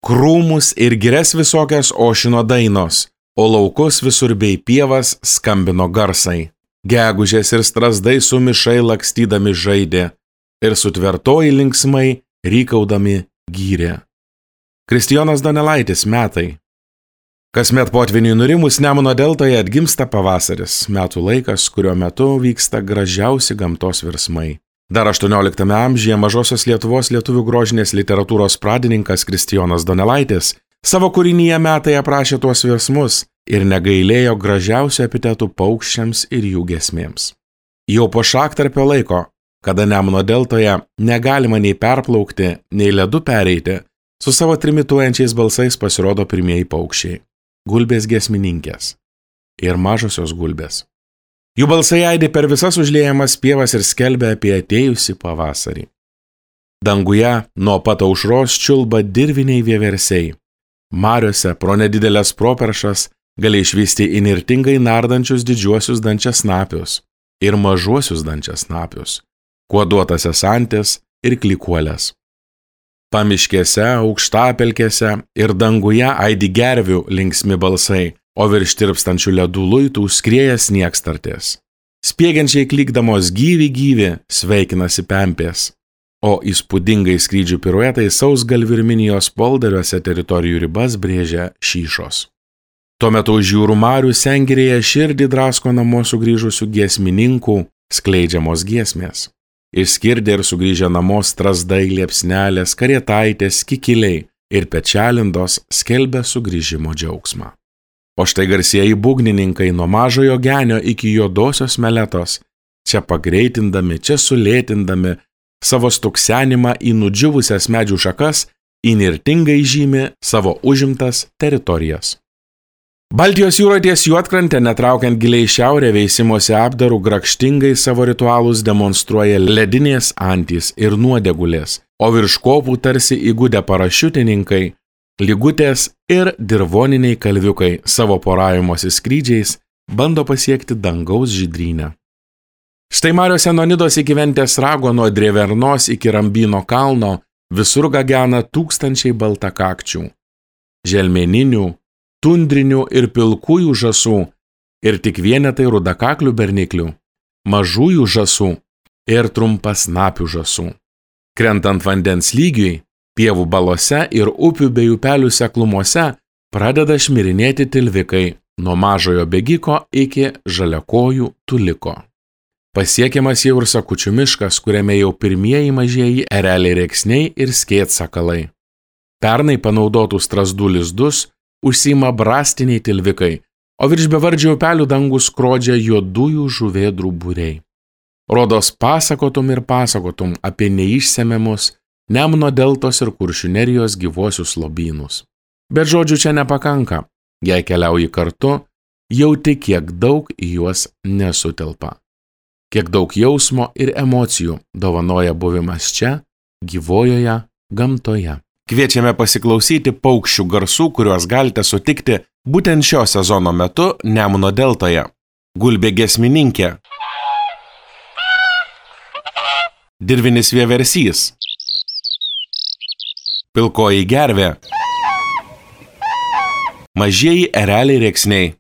Krūmus ir girias visokias ošino dainos, o laukus visur bei pievas skambino garsai. Gegužės ir strazdai sumišai lakstydami žaidė ir sutvertoji linksmai rykaudami gyrė. Kristijonas Donelaitis metai. Kasmet potviniui nurimus Nemuno deltoje atgimsta pavasaris, metų laikas, kurio metu vyksta gražiausi gamtos virsmai. Dar 18 amžiuje Mažosios Lietuvos lietuvių grožinės literatūros pradininkas Kristijonas Donelaitis savo kūrinyje Metai aprašė tuos virsmus ir negailėjo gražiausių epitetų paukščiams ir jų giesmėms. Jau po šaktarpio laiko, kada Nemuno deltoje negalima nei perplaukti, nei ledu pereiti, su savo trimituojančiais balsais pasirodo pirmieji paukščiai – gulbės giesmininkės ir mažosios gulbės. Jų balsai aidi per visas užliejamas pievas ir skelbia apie atėjusį pavasarį. Danguje nuo pat aušros čiulba dirviniai vieversiai. Mariose pro nedidelės properšas gali išvysti įnirtingai nardančius didžiuosius dančiasnapius ir mažuosius dančiasnapius, kuoduotasias antis ir klikuolės. Pamiškėse, aukštapelkėse ir danguje aidi gervių linksmi balsai, o virš tirpstančių ledų luitų skrieja sniegstartės. Spiegiančiai klykdamos gyvi sveikinasi pempės, o įspūdingai skrydžių piruetai sausgalvių ir minijos polderiuose teritorijų ribas brėžia šyšos. Tuo metu už jūrų marių sengirėje širdį drasko namo sugrįžusių giesmininkų skleidžiamos giesmės. Išskirdė ir sugrįžę namo strazdai, liepsnelės, karietaitės, kikiliai ir pečelindos skelbia sugrįžimo džiaugsmą. O štai garsieji būgnininkai nuo Mažojo Genio iki Juodosios Meletos, čia pagreitindami, čia sulėtindami savo stuksenimą į nudžiuvusias medžių šakas, įnirtingai žymi savo užimtas teritorijas. Baltijos jūroje ties Juodkrante, netraukiant giliai šiaurę veisimosi apdarų, grakštingai savo ritualus demonstruoja ledinės antys ir nuodegulės, o virš kopų tarsi įgudę parašiutininkai, lygutės ir dirvoniniai kalviukai savo poravimosi skrydžiais bando pasiekti dangaus žydrynę. Štai mariose nuo Nidos iki Ventės rago, nuo Drėvernos iki Rambyno kalno visur gagena tūkstančiai baltakakčių, želmeninių, tundrinių ir pilkųjų žąsų ir tik vienetai rudakaklių berniklių, mažųjų žąsų ir trumpasnapių žąsų. Krentant vandens lygiui, pievų balose ir upių bei upelių seklumuose pradeda šmirinėti tilvikai nuo Mažojo Bėgiko iki Žaliakojų Tuliko. Pasiekiamas jau ir Sakučių miškas, kuriame jau pirmieji mažieji ereliai rėksniai ir skėtsakalai. Pernai panaudotų strazdų lizdus užsiima brastiniai tilvikai, o virš bevardžių upelių dangų skrodžia juodųjų žuvėdrų būriai. Rodos pasakotum ir pasakotum apie neišsemiamus Nemuno deltos ir Kuršių nerijos gyvuosius lobynus. Bet žodžių čia nepakanka, jei keliauji kartu, jauti kiek daug į juos nesutelpa. Kiek daug jausmo ir emocijų dovanoja buvimas čia, gyvojoje gamtoje. Kviečiame pasiklausyti paukščių garsų, kuriuos galite sutikti būtent šio sezono metu Nemuno deltoje. Gulbė giesmininkė, dirvinis vieversys, pilkoji gervė, mažieji ereliai rėksniai.